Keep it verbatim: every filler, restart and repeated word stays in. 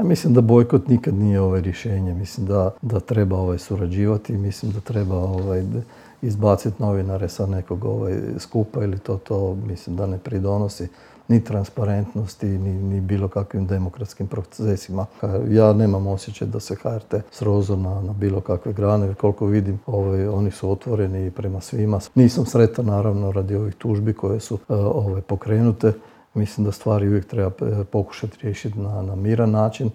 Ja mislim da bojkot nikad nije ovaj rješenje. Mislim da, da treba ovaj surađivati, mislim da treba ovaj izbaciti novinare sa nekog ovaj skupa ili to, to mislim da ne pridonosi ni transparentnosti, ni, ni bilo kakvim demokratskim procesima. Ja nemam osjećaj da se H R T srozao na, na bilo kakve grane, jer koliko vidim, ovaj, oni su otvoreni prema svima. Nisam sretan, naravno, radi ovih tužbi koje su ovaj, pokrenute. Mislim da stvari uvijek treba pokušati riješiti na, na miran način,